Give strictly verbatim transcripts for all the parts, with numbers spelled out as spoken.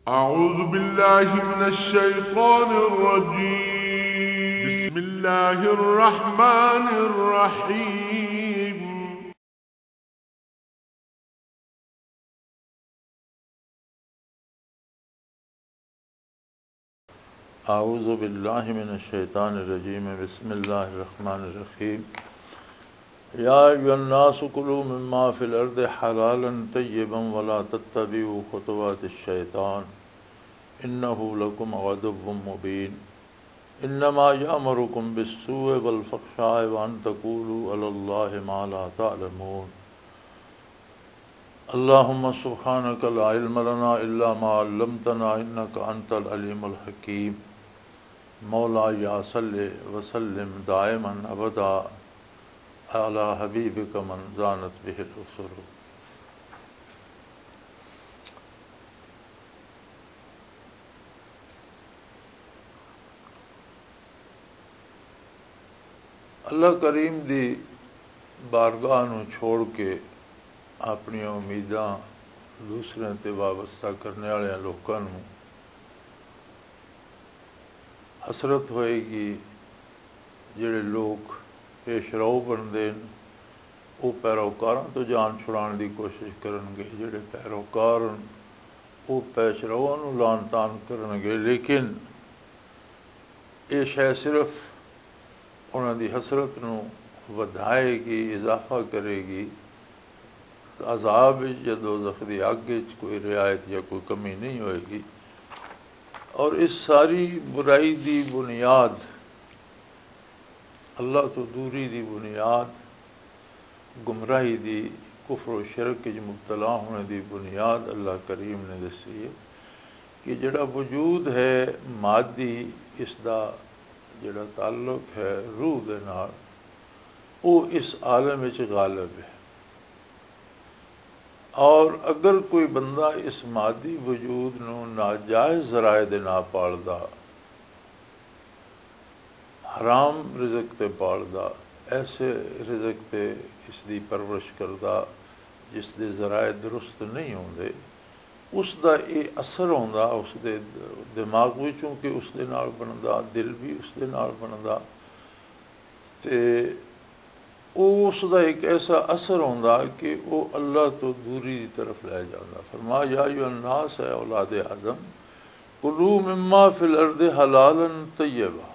أعوذ بالله من الشيطان الرجيم. بسم الله الرحمن الرحيم. أعوذ بالله من الشيطان الرجيم. بسم الله الرحمن الرحيم. يا أيها الناس كلوا مما في الأرض حلالا طيبا ولا تتبعوا خطوات الشيطان إنه لكم عدو مبين. إنما يأمركم بالسوء والفحشاء وأن تقولوا على الله ما لا تعلمون. اللهم سبحانك لا علم لنا إلا ما علمتنا إنك أنت العليم الحكيم. مولاي صل وسلم دائما أبدا على حبيبك من زانت به الأسر. اللہ کریم دی بارگاہ نو چھوڑ کے اپنی امیداں دوسرے تے وابستہ کرنے والے لوکاں نو حسرت ہوئے گی۔ جڑے لوگ پیش رو بنتے ہیں، وہ پیروکاراں تو جان چھڑان دی کوشش کرن گے۔ جڑے پیروکار ہیں، وہ پیش رواں نو لان تان کرن گے۔ لیکن یہ شے صرف انہاں دی حسرت نو ودھائے گی، اضافہ کرے گی۔ عذاب وچ یا دوزخ دی اگ وچ کوئی رعایت یا کوئی کمی نہیں ہوئے گی۔ اور اس ساری برائی دی بنیاد، اللہ تو دوری دی بنیاد، گمراہی دی، کفر و شرک وچ مبتلا ہونے دی بنیاد اللہ کریم نے دسی ہے کہ جڑا وجود ہے مادی، اس دا جڑا تعلق ہے روح دے نال، وہ اس عالم وچ غالب ہے۔ اور اگر کوئی بندہ اس مادی وجود نو ناجائز ذرائع دے نال پالدا، حرام رزق تے پالدا، ایسے رزق تے اس دی پرورش کردا جس دے ذرائع درست نہیں ہوندے، اس دا یہ اثر ہوندا اس دے دماغ وچوں کہ اس دے نال بندا، دل بھی اس دے نال بندا۔ تے او اس دا ایک ایسا اثر ہوندا کہ او اللہ تو دوری دی طرف لے جاندا۔ فرمایا، یا ایھا الناس، اے اولاد آدم، کلوا مما فی الارض حلالا طیبا۔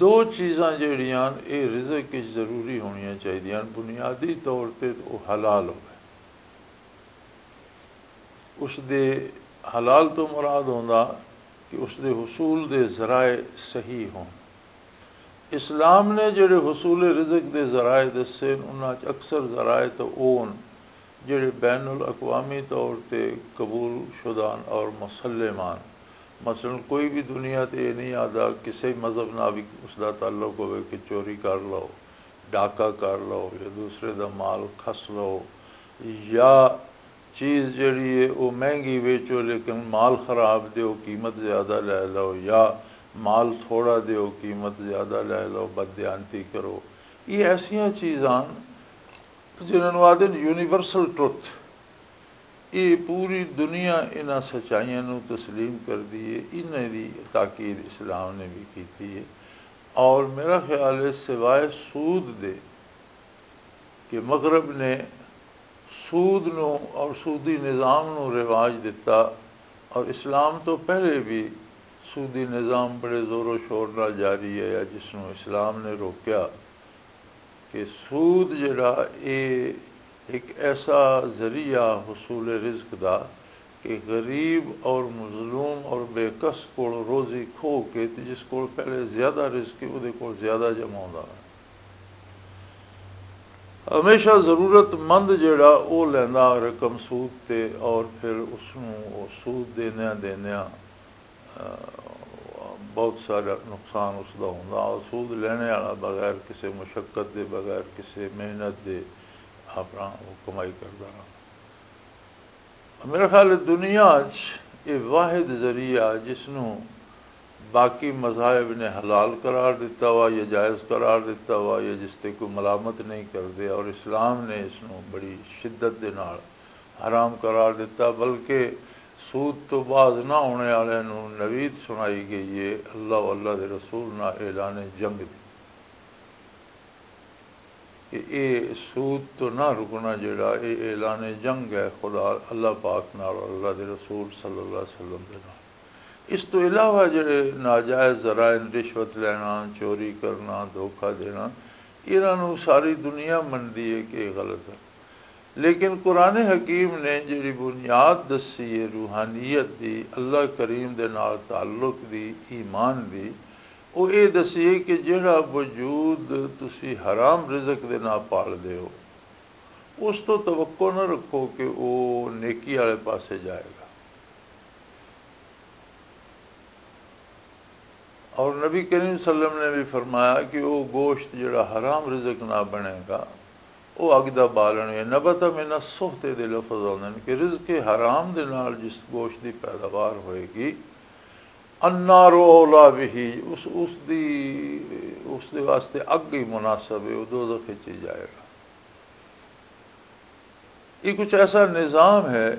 دو چیزاں جڑیاں اے رزق وچ ضروری ہونیاں چاہیدیاں، بنیادی طور تے او حلال ہوئے۔ اس دے حلال تو مراد ہوندا کہ اس دے حصول دے ذرائع صحیح ہون۔ اسلام نے جڑے حصول رزق دے ذرائع دسے، انہاں چ اکثر ذرائع تو اون جڑے بین الاقوامی طور تے قبول شدہ ہن اور مسلم ہن۔ مثلاً کوئی بھی دنیا تے یہ نہیں آدا کسی مذہب نال بھی اس دا تعلق ہوئے کہ چوری کر لو، ڈاکہ کر لو یا دوسرے دا مال کھس لو، یا چیز جڑی ہے وہ مہنگی ویچو لیکن مال خراب دیو، قیمت زیادہ لے لو، یا مال تھوڑا دیو، قیمت زیادہ لے لو، بددیانتی کرو۔ یہ ایسیاں چیزاں جنہاں نوں آدھے نے یونیورسل ٹروتھ، یہ پوری دنیا انہاں سچائیاں نوں تسلیم کر دی ہے، انہاں دی تاکید اسلام نے بھی کیتی ہے۔ اور میرا خیال ہے سوائے سود دے کہ مغرب نے سود نو اور سودی نظام نو رواج دتا، اور اسلام تو پہلے بھی سودی نظام بڑے زور و شور نال جاری ہے، جس نو اسلام نے روکیا کہ سود جڑا اے ایک ایسا ذریعہ حصول رزق دا کہ غریب اور مظلوم اور بے کس کول روزی کھو کے تے جس کول پہلے زیادہ رزق ہے، اودے کول زیادہ جمع ہوندا ہے۔ ہمیشہ ضرورت مند جڑا او لیندا رقم سود تے، اور پھر اس نوں او سود دیندیاں دیندیاں، آ، بہت سارا نقصان اس دا ہوندا۔ اور سود لینے والا بغیر کسے مشقت دے، بغیر کسے محنت دے اپنا وہ کمائی کردا رہندا۔ میرا خیال ہے دنیا چ یہ واحد ذریعہ جس نوں باقی مذاہب نے حلال قرار دیتا ہوا یا جائز قرار دیتا ہوا یا جس تے کوئی ملامت نہیں کردے، اور اسلام نے اس نوں بڑی شدت دے نال حرام قرار دیتا، بلکہ سود تو باز نہ ہونے والے نوں نوید سنائی گئی ہے، اللہ و اللہ دے رسول نہ اعلان جنگ دی، کہ اے سود تو نہ رکنا، جڑا اے اعلان جنگ ہے خدا، اللہ پاک نال اور اللہ دے رسول صلی اللہ علیہ وسلم دے نال۔ اس تو علاوہ جڑے ناجائز ذرائع، رشوت لینا، چوری کرنا، دھوکہ دینا، انہاں نوں ساری دنیا منتی ہے کہ یہ غلط ہے۔ لیکن قرآن حکیم نے جڑی بنیاد دسی ہے روحانیت دی، اللہ کریم دے نال تعلق دی، ایمان دی، وہ یہ دسی ہے کہ جڑا وجود تسی حرام رزق دے نال پال دے ہو، اس تو توقع نہ رکھو کہ وہ نیکی والے پاسے جائے گا۔ اور نبی کریم صلی اللہ علیہ وسلم نے بھی فرمایا کہ وہ گوشت جڑا حرام رزق نہ بنے گا، وہ اگ دا بالن ہے۔ نبت من السحت دے لفظ آندے نے کہ رزق حرام دے نال جس گوشت دی پیداوار ہوئے گی، النار اولا بہ، اس، اس دی، اس دے واسطے اگ ہی مناسب ہے، وہ دوزخ وچ ہی جائے گا۔ یہ کچھ ایسا نظام ہے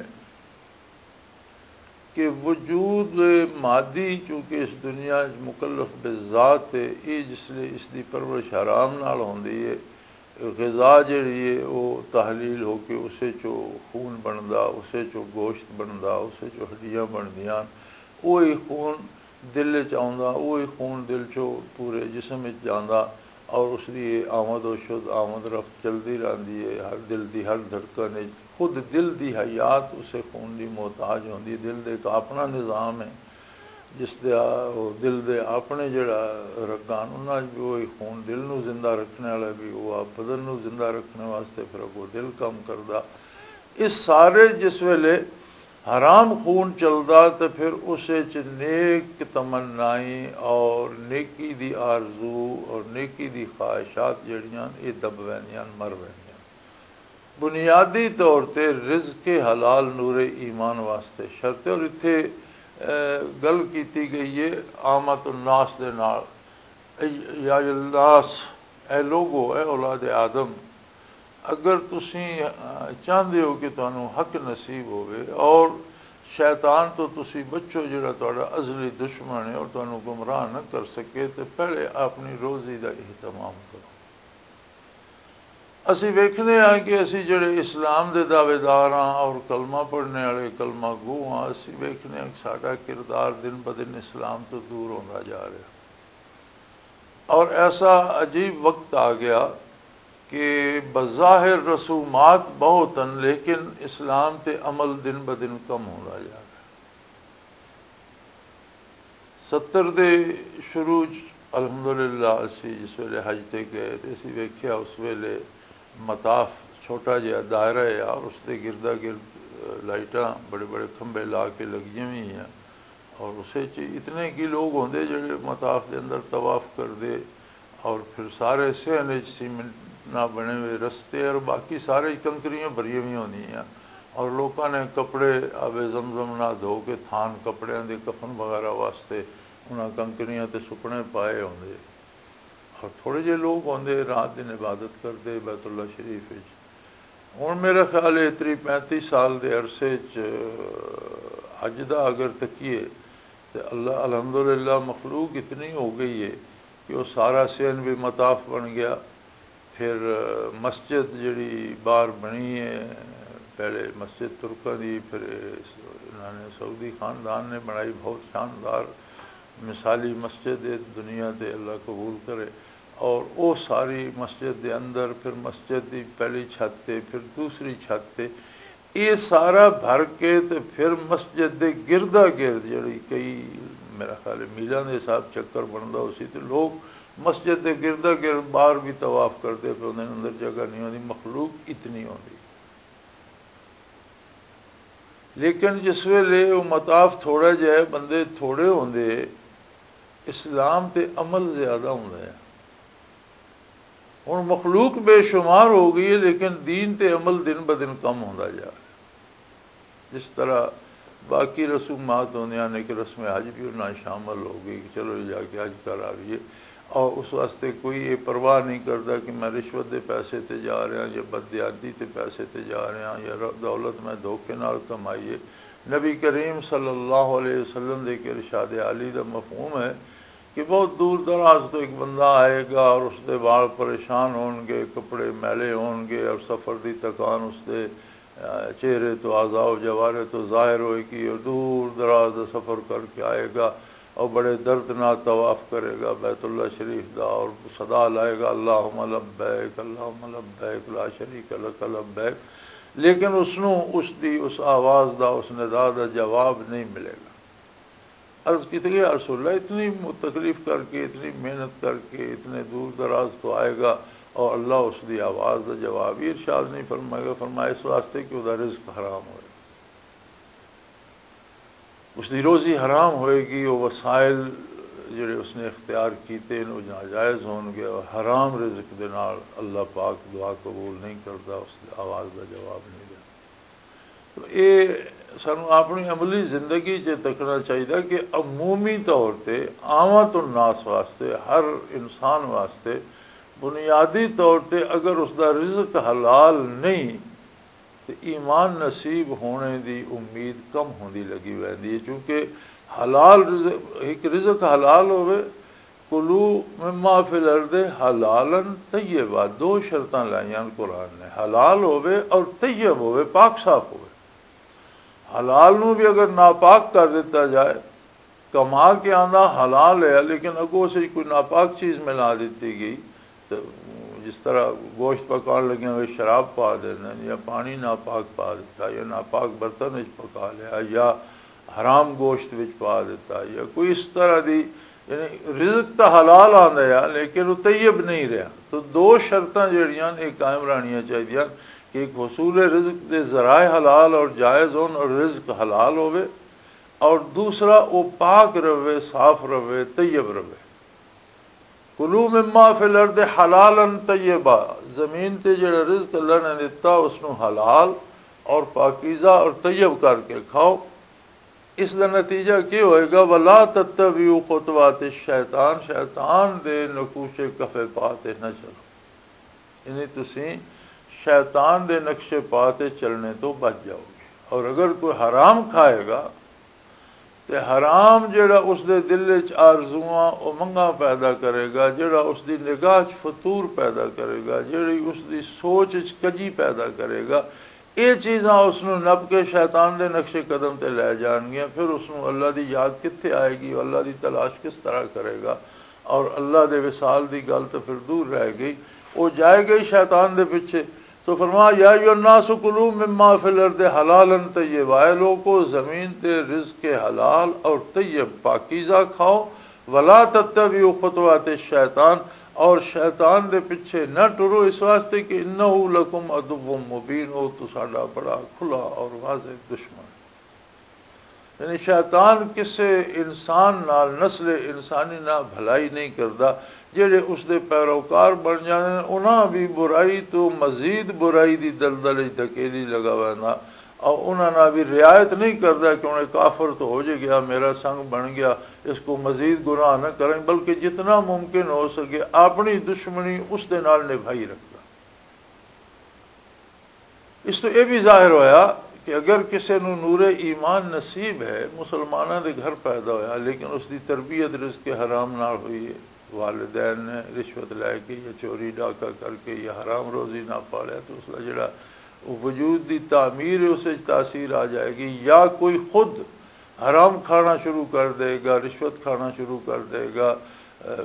کہ وجود مادی چونکہ اس دنیا وچ مکلف بذات ہے، یہ جس لئے اس دی پرورش حرام نال ہوندی ہے، غذا جڑی ہے وہ تحلیل ہو کے اسے چو خون بندا، اسے چو گوشت بندا، اسے چو ہڈیاں بندیاں، وہی خون دل وچ آوندا، وہی خون دل چو پورے جسم وچ جاندا، اور اس دی آمد و شد، آمد رفت چلدی رہندی ہے۔ ہر دل دی ہر دھڑکن وچ خود دل دی حیات اسے خون دی محتاج ہوندی ہے۔ دل دے ایک اپنا نظام ہے، جس دے آ-، او دل دے اپنے جڑا رگان، انہاں وچ وہی خون دل نو زندہ رکھنے والا بھی، وہ آپ بدن نو زندہ رکھنے واسطے پھر اگوں دل کم کردا۔ اس سارے جس ویلے حرام خون چلدا تے پھر اس وچ نیک تمنائیں اور نیکی دی آرزو اور نیکی دی خواہشات جڑیاں، اے دب ویندیاں، مر ویندیاں۔ بنیادی طور تے رزق حلال نور ایمان واسطے شرط ہے۔ اور اتھے، اے، گل کیتی گئی ہے عامت الناس دے نال۔ اے یا الناس، اے لوگو، اے اولاد آدم، اگر تسی، آ، چاہندے ہو کہ تانوں حق نصیب ہووے اور شیطان تو تسی بچو، جڑا تہاڈا ازلی دشمن ہے اور تانوں گمراہ نہ کر سکے، تے پہلے اپنی روزی دا اہتمام کرو۔ اسی ویکھنے ہاں کہ اسی جڑے اسلام دے دعوے دار ہاں اور کلمہ پڑھنے والے کلمہ گو ہاں، اسی ویکھنے ہاں کہ ساڈا کردار دن بدن اسلام تو دور ہوندا جا رہا۔ اور ایسا عجیب وقت آ گیا کہ بظاہر رسومات بہت ہیں، لیکن اسلام تے عمل دن بدن کم ہوندا جا رہا۔ ستر دے شروع چ الحمدللہ اسی جس ویلے حج تے گئے تے اسی ویکھیا، اس ویلے مطاف چھوٹا جہا دائرہ ہے اور اس دے گردا گرد، اہ، لائٹاں، بڑے بڑے کھمبے لا کے لگیاں ہوئی ہیں۔ اور اسے چ اتنے کی لوگ ہوندے جڑے مطاف دے اندر طواف کردے، اور پھر سارے صحن وچ سیمنٹ نہ بنے ہوئے رستے اور باقی سارے کنکریاں بھریاں ہوئی ہوندیاں، اور لوکاں نے کپڑے آب زمزم نہ دھو کے تھان کپڑیاں دے کفن وغیرہ واسطے انہاں کنکریاں تے سکنے پائے ہوندے۔ اور تھوڑے جے لوگ ہوندے رات دن عبادت کردے بیت اللہ شریف وچ۔ ہن میرا خیال ہے تری پینتی سال دے عرصے چ حج دا اگر تکیے تے اللہ، الحمدللہ، مخلوق اتنی ہو گئی ہے کہ وہ سارا سین بھی مطاف بن گیا۔ پھر مسجد جڑی باہر بنی ہے، پہلے مسجد ترکاں دی، پھر انہوں نے سعودی خاندان نے بنائی، بہت شاندار مثالی مسجد ہے، دنیا تے اللہ قبول کرے۔ اور وہ ساری مسجد دے اندر، پھر مسجد دی پہلی چھت تے، پھر دوسری چھت تے، یہ سارا بھر کے تے پھر مسجد دے گردا گرد جڑی کئی، میرا خیال ہے، میلاں دے حساب چکر بندا ہو سی، تے لوگ مسجد دے گردا گرد باہر بھی طواف کردے پے ہوندے نے، اندر جگہ نہیں ہوندی، مخلوق اتنی ہوندی۔ لیکن جس ویلے وہ مطاف تھوڑا جہا ہے، بندے تھوڑے ہوندے، اسلام تے عمل زیادہ ہوندا ہے۔ ہن مخلوق بے شمار ہو گئی ہے، لیکن دین تے عمل دن بدن کم ہوندا جا رہا ہے۔ جس طرح باقی رسومات ہوندیاں نے کہ رسم حج بھی انہاں شامل ہو گئی کہ چلو جی جا کے حج کر آئیے، اور اس واسطے کوئی یہ پرواہ نہیں کردا کہ میں رشوت دے پیسے تے جا رہا یا بددیانتی تے پیسے تے جا رہا یا ر-، دولت میں دھوکے نال کمائی ہے۔ نبی کریم صلی اللہ علیہ وسلم دے ایک ارشاد عالی دا مفہوم ہے کہ بہت دور دراز تو ایک بندہ آئے گا اور اس دے وال پریشان ہون گے، کپڑے میلے ہون گے اور سفر دی تکان اس دے، آ، چہرے تو، اعضاء و جوارے تو ظاہر ہوئے گی اور دور دراز دا سفر کر کے آئے گا اور بڑے درد نہ طواف کرے گا بیت اللہ شریف دا اور صدا لائے گا، "اللہم لبیک، اللہم لبیک، لا شریک لک لبیک"، لیکن اس نو اس دی، اس آواز دا، اس ندا دا جواب نہیں ملے گا۔ عرض کیتے گئے، "یا رسول اللہ، اتنی م-، تکلیف کر کے، اتنی محنت کر کے، اتنے دور دراز تو آئے گا اور اللہ اس دی آواز دا جواب ہی ارشاد نہیں فرمائے گا؟" فرمایا، "اس واسطے کہ وہ دا رزق حرام ہوئے، اس دی روزی حرام ہوئے گی، وہ وسائل جڑے اس نے اختیار کیتے ہیں، وہ ناجائز ہون گے اور حرام رزق دے نال اللہ پاک دعا قبول نہیں کرتا، اس دی آواز دا جواب نہیں دیتا۔" تو اے سانوں اپنی عملی زندگی 'چ تکنا چاہیدا کہ عمومی طور تے، عامت الناس واسطے، ہر انسان واسطے بنیادی طور تے اگر اس دا رزق حلال نہیں تے ایمان نصیب ہونے دی امید کم ہوندی لگی ویندی ہے، کیونکہ حلال رزق، ایک رزق حلال ہوئے، "کلوا مما فی الارض حلالا طیبا"، دو شرطاں لائیاں قرآن نے، حلال ہوئے اور طیب ہوئے، پاک صاف ہوئے۔ حلال نو بھی اگر ناپاک کر دیتا جائے، کما کے آندا حلال ہے، لیکن اگوں اسے کوئی ناپاک چیز ملا دیتی گئی، تو جس طرح گوشت پکان لگے ہوئے شراب پا دیندے نے، یا پانی ناپاک پا دیتا، یا ناپاک برتن وچ پکا لیا، یا حرام گوشت وچ پا دیتا، یا کوئی اس طرح دی، یعنی رزق تو حلال آندا ہے، لیکن وہ طیب نہیں رہا۔ تو دو شرطاں جڑیاں نے قائم رہنیاں چاہیدیاں کہ ایک حصول رزق دے ذرائع حلال اور جائز ہون اور رزق حلال ہوئے، اور دوسرا وہ پاک رہے، صاف رہے، طیب رہے۔ "کلوا مما فی الارض حلالا طیبا"، زمین تے جڑا رزق اللہ نے دتا، اس نو حلال اور پاکیزہ اور طیب کر کے کھاؤ۔ اس دا نتیجہ کی ہوئے گا؟ "ولا تتبعوا خطوات الشیطان"، شیطان دے نقوش کفے پا تے نہ چلو، یعنی تسی شیطان دے نقشے پا تے چلنے تو بچ جاؤ گے۔ اور اگر کوئی حرام کھائے گا، تے حرام جڑا اس دے دل وچ آرزواں، امنگاں پیدا کرے گا، جڑا اس دی نگاہ وچ فتور پیدا کرے گا، جڑی اس دی سوچ وچ کجی پیدا کرے گا، اے چیزاں اس نوں نپ کے شیطان دے نقش قدم تے لے جان گیاں۔ پھر اس نوں اللہ دی یاد کتھے آئے گی، اللہ دی تلاش کس طرح کرے گا؟ اور اللہ دے وصال دی گل تے پھر دور رہ گئی، وہ جائے گئی شیطان دے پیچھے۔ تو فرمایا، "یا ایھا الناس کلوا مما فی الارض حلالا طیبا"، اے لوگو، زمین تے رزق حلال اور طیب پاکیزہ کھاؤ، "ولا تتبعوا خطوات الشیطان"، اور شیطان دے پیچھے نہ ٹرو، اس واسطے کہ "انہ لکم عدو مبین"، او تساڈا بڑا کھلا اور واضح دشمن ہے۔ یعنی شیطان کسے انسان نال، نسل انسانی نال بھلائی نہیں کردا۔ جڑے اس دے پیروکار بن جاندے نے، انہاں بھی برائی تو مزید برائی دی دلدل وچ دھکیلی لگا ویندا۔ اور انہاں نال بھی رعایت نہیں کردا کہ انہیں کافر تو ہو جے گیا، میرا سنگ بن گیا، اس کو مزید گناہ نہ کریں، بلکہ جتنا ممکن ہو سکے اپنی دشمنی اس دے نال نبھائی رکھدا۔ اس تو یہ بھی ظاہر ہویا کہ اگر کسی نو نور ایمان نصیب ہے، مسلمانوں دے گھر پیدا ہویا، لیکن اس دی تربیت رزق حرام نال ہوئی ہے، والدین نے رشوت لے کے یا چوری ڈاکہ کر کے یا حرام روزی نہ پالیا، تو اس دا جڑا وجود دی تعمیر ہے، اس وچ تاثیر آ جائے گی۔ یا کوئی خود حرام کھانا شروع کر دے گا، رشوت کھانا شروع کر دے گا،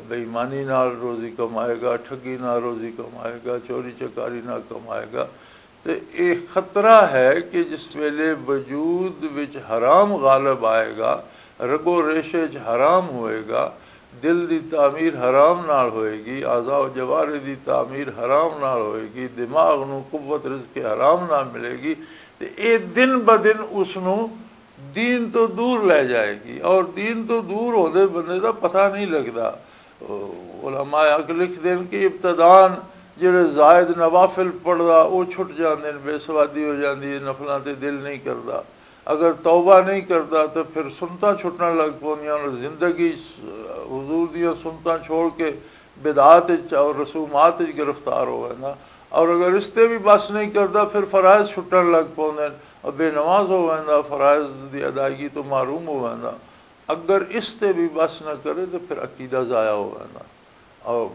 بے ایمانی نال روزی کمائے گا، ٹھگی نال روزی کمائے گا، چوری چکاری نال کمائے گا۔ تے ایہہ خطرہ ہے کہ جس ویلے وجود وچ حرام غالب آئے گا، رگو ریشے وچ حرام ہوئے گا، دل دی تعمیر حرام نال ہوئے گی، اعضاء و جوارے دی تعمیر حرام نال ہوئے گی، دماغ نوں قوت رزق حرام نال ملے گی، تے ایہہ دن بدن اس نوں دین تو دور لے جائے گی، اور دین تو دور ہوندے بندے دا پتہ نہیں لگدا۔ علماء حق لکھ دین کہ ابتدان جڑے زائد نوافل پڑھدا، او چھٹ جاندے نے، بے سوادی ہو جاندی ہے، نفلاں تے دل نہیں کردا۔ اگر توبہ نہیں کردا تو پھر سنتاں چھٹن لگ پوندیاں، اور زندگی حضور دیاں سنتاں چھوڑ کے بدعات وچ اور رسومات وچ گرفتار ہو ویندا۔ اور اگر اس تے بھی بس نہیں کردا، پھر فرائض چھٹن لگ پوندے نے۔ اور بے نماز ہو ویندا، فرائض دی ادائیگی تو محروم ہو ویندا۔ اگر اس تے بھی بس نہ کرے تو پھر عقیدہ ضائع ہو ویندا۔ اور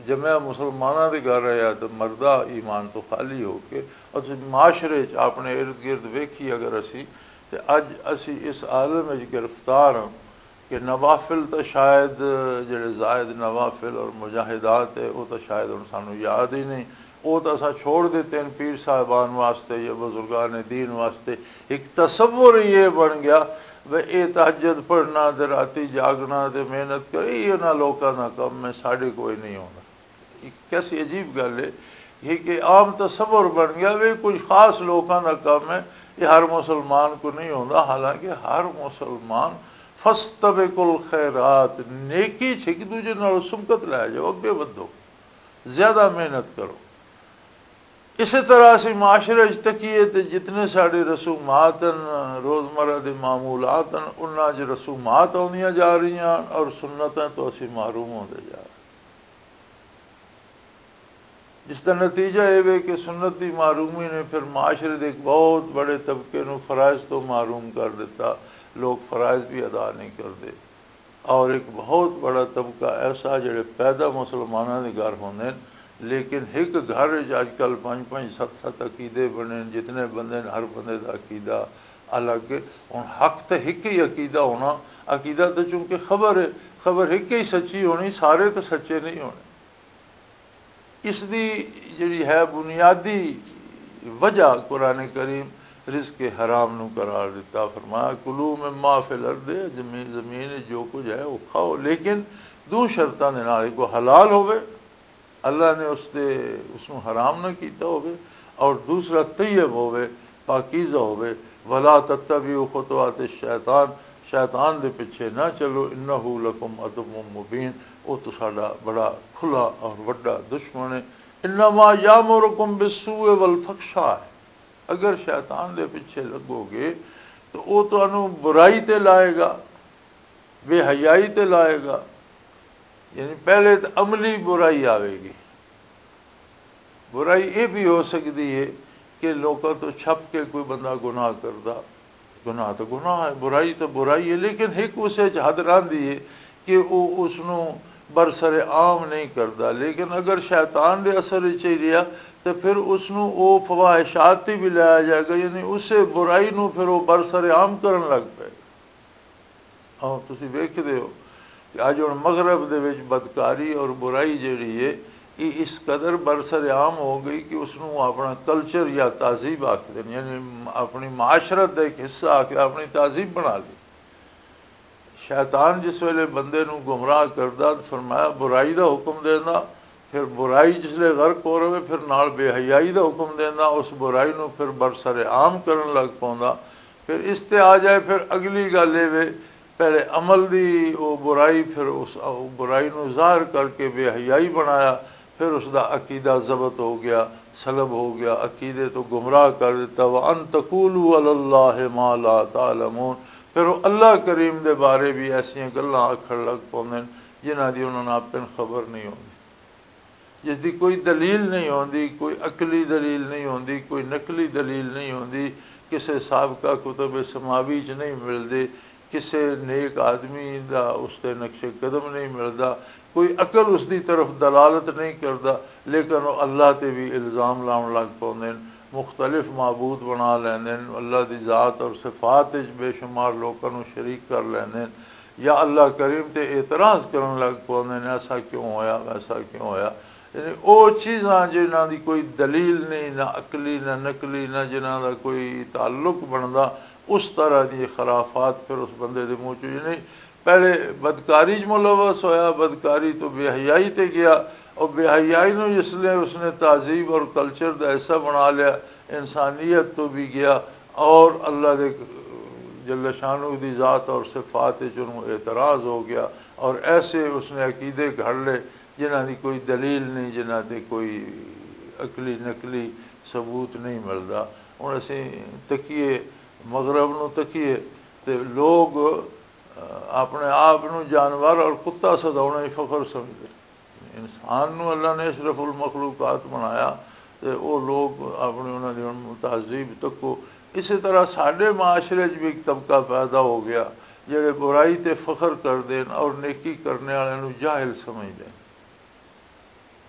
جمع مسلماناں دے گھر رہیا تو مردہ ایمان تو خالی ہو کے، اور تسی معاشرے چ اپنے ارد گرد ویکھی اگر اسی، تے اج اسی اس عالم وچ گرفتار ہاں کہ نوافل تاں شاید، جڑے زائد نوافل اور مجاہدات ہے، وہ تاں شاید ہن سانوں یاد ہی نہیں۔ وہ تاں اساں چھوڑ دتے ہیں پیر صاحبان واسطے یا بزرگان دین واسطے۔ ایک تصور یہ بن گیا، وہ اے تہجد پڑھنا تے راتی جاگنا تے محنت کرے، یہ انہاں لوکاں دا کم ہے، ساڈے کوئی نہیں ہونا۔ ایک کیسی عجیب گل ہے یہ کہ عام تصور بن گیا، وہ کچھ خاص لوکاں دا کم ہے، یہ ہر مسلمان کو نہیں ہوندا۔ حالانکہ ہر مسلمان، فاستبقوا الخیرات، نیکی چ ایک دوجے نال سمکت لے جاؤ، اگے ودھو، زیادہ محنت کرو۔ اسی طرح اسی معاشرے وچ تکیے تے جتنے ساڈے رسومات ہیں، روزمرہ دے معمولات ہیں، انہاں 'چ رسومات آندیاں جا رہیاں اور سنتاں تو اسی محروم ہوندے جا رہے۔ جس دا نتیجہ یہ وے کہ سنت دی محرومی نے پھر معاشرے دے ایک بہت بڑے طبقے نوں فرائض تو محروم کر دیتا۔ لوگ فرائض بھی ادا نہیں کردے۔ اور ایک بہت بڑا طبقہ ایسا جڑے پیدا مسلماناں دے گھر ہوندے نے، لیکن ایک گھر وچ اج کل پنج پنج ست ست عقیدے بنے نے، جتنے بندے نے ہر بندے دا عقیدہ الگ ہے۔ ہن حق تے ایک ہی عقیدہ ہونا، عقیدہ تے چونکہ خبر ہے، خبر ایک ہی سچی ہونی، سارے تے سچے نہیں ہونے۔ اس دی جڑی ہے بنیادی وجہ قرآن کریم رزق حرام نو قرار دیتا، فرمایا، "کلوا مما فی الارض"، زمین، زمین وچ جو کچھ ہے وہ کھاؤ، لیکن دو شرطاں دے نال، ایک وہ حلال ہوے، اللہ نے اس دے، اس نو حرام نہ کیتا ہوے، اور دوسرا طیب ہوے، پاکیزہ ہوے۔ "ولا تتبعوا خطوات الشیطان"، شیطان دے پیچھے نہ چلو، "انہ لکم عدو مبین"، وہ تو ساڈا بڑا کھلا اور وڈا دشمن ہے۔ "انما یامرکم بالسوء والفحشاء"، اگر شیطان دے پیچھے لگو گے تو وہ تانوں برائی تے لائے گا، بے حیائی تے لائے گا۔ یعنی پہلے تو عملی برائی آوے گی۔ برائی یہ بھی ہو سکتی ہے کہ لوکاں تو چھپ کے کوئی بندہ گناہ کردا۔ گناہ تو گناہ ہے، برائی تو برائی ہے، لیکن ایک اس وچ حد رہندی ہے کہ وہ اس نو برسر عام نہیں کردا۔ لیکن اگر شیطان دے اثر وچ ہی رہیا تو پھر اس نو وہ فواحشات تے بھی لایا جائے گا، یعنی اسے برائی نو پھر وہ برسر عام کرن لگ پائے گا۔ آؤ، تسی ویکھدے ہو کہ اج ہن مغرب دے وچ بدکاری اور برائی جیڑی ہے، یہ اس قدر برسر عام ہو گئی کہ اس نوں اپنا کلچر یا تہذیب آکھدے نے، یعنی اپنی معاشرت دا ایک حصہ آکھ کے اپنی تہذیب بنا لی۔ شیطان جس ویلے بندے نوں گمراہ کردا، فرمایا، برائی دا حکم دیندا، پھر برائی جس لے غرق ہو رہے، پھر نال بے حیائی دا حکم دیندا، اس برائی نوں پھر برسر عام کرن لگ پوندا۔ پھر اس تے آ جائے، پھر اگلی گل اے وے، پہلے عمل دی وہ برائی، پھر اس برائی نوں ظاہر کر کے بے حیائی بنایا، پھر اس دا عقیدہ ضبط ہو گیا، سلب ہو گیا، عقیدے تو گمراہ کر دیتا۔ "وان تقولوا علی اللہ ما لا تعلمون"، پھر وہ اللہ کریم دے بارے بھی ایسیاں گلاں آکھن لگ پوندے نے جنہاں دی انہاں نوں اپن خبر نہیں ہوندی، جس دی کوئی دلیل نہیں ہوندی، کوئی عقلی دلیل نہیں ہوندی، کوئی نقلی دلیل نہیں ہوندی، کسے سابقہ کتب سماوی چ نہیں ملدے، کسے نیک آدمی دا اس تے نقش قدم نہیں ملدا، کوئی عقل اس دی طرف دلالت نہیں کردا، لیکن وہ اللہ تے بھی الزام لاؤن لگ پوندے نے، مختلف معبود بنا لیندے نے، اللہ دی ذات اور صفات وچ بے شمار لوکاں نوں شریک کر لیندے نے، یا اللہ کریم تے اعتراض کرن لگ پوندے نے، "ایسا کیوں ہویا، ویسا کیوں ہویا؟" یعنی او چیزاں جنہاں دی کوئی دلیل نہیں، نہ عقلی، نہ نقلی، نہ جنہاں دا کوئی تعلق بندا، اس طرح دی خرافات پھر اس بندے دے منہ چوں، یعنی پہلے بدکاری چ ملوث ہویا، بدکاری تو بے حیائی تے گیا، اور بے حیائی نو جس نے اس نے تہذیب اور کلچر دا حصہ بنا لیا، انسانیت تو بھی گیا، اور اللہ دے جل شانہ دی ذات اور صفات وچ انہوں اعتراض ہو گیا، اور ایسے اس نے عقیدے گھڑ لے جنہاں دی کوئی دلیل نہیں، جنہاں تے کوئی عقلی نقلی ثبوت نہیں ملدا۔ ہن اسی تکیے، مغرب نو تکیے، تے لوگ، آ، اپنے آپ نو جانور اور کتا سداؤنا ہی فخر سمجھدے۔ انسان نو اللہ نے اشرف المخلوقات بنایا، تے او لوگ اپنے انہاں دی ہن تہذیب تکو۔ اسی طرح ساڈے معاشرے 'چ بھی ایک طبقہ پیدا ہو گیا، جڑے برائی تے فخر کردے نے اور نیکی کرنے والے نوں جاہل سمجھدے نے۔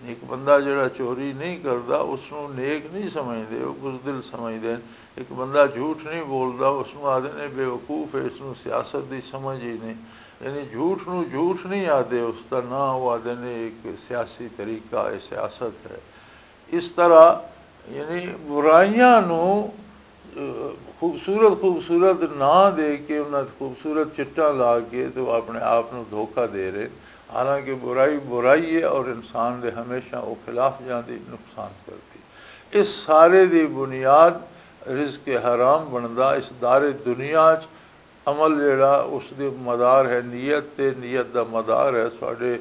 ایک بندہ جڑا چوری نہیں کردا، اس نوں نیک نہیں سمجھدے، او بزدل سمجھدے نے۔ ایک بندہ جھوٹ نہیں بولدا، اس نوں آدھے نے بے وقوف ہے، اس نوں سیاست دی سمجھ ہی نہیں۔ یعنی جھوٹ نوں جھوٹ نہیں آدھے، اس دا نام او آدھے نے ایک سیاسی طریقہ ہے، سیاست ہے۔ اس طرح یعنی برائیاں نوں، اہ، خوبصورت خوبصورت ناں دے کے، انہاں تے خوبصورت چٹاں لا کے تے وہ اپنے آپ نوں دھوکا دے رہے۔ حالانکہ برائی برائی ہے اور انسان دے ہمیشہ وہ خلاف جاندی، نقصان کردی۔ اس سارے دی بنیاد رزق حرام بندا۔ اس دار دنیا چ عمل جڑا اس دے مدار ہے نیت تے، نیت دا مدار ہے ساڈے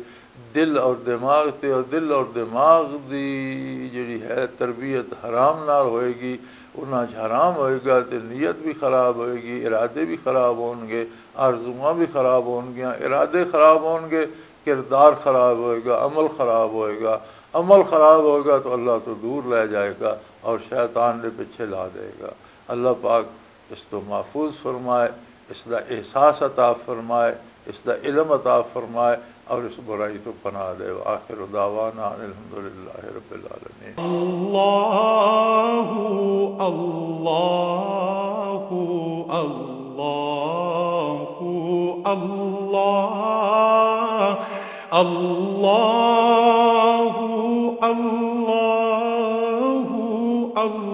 دل اور دماغ تے، اور دل اور دماغ دی جڑی ہے تربیت حرام نال ہوئے گی، انہاں چ حرام ہوئے گا تے نیت بھی خراب ہوئے گی، ارادے بھی خراب ہون گے، آرزواں بھی خراب ہون گیاں، ارادے خراب ہون گے، کردار خراب ہوئے گا، عمل خراب ہوئے گا۔ عمل خراب ہوئے گا تو اللہ تو دور لے جائے گا اور شیطان دے پیچھے لا دے گا۔ اللہ پاک اس تو محفوظ فرمائے، اس دا احساس عطا فرمائے، اس دا علم عطا فرمائے اور اس برائی تو پناہ دے۔ وآخر دعوانا ان الحمدللہ رب العالمین۔ اللہ، اللہ، اللہ، اللہ، اللہ، اللہ، اللہ۔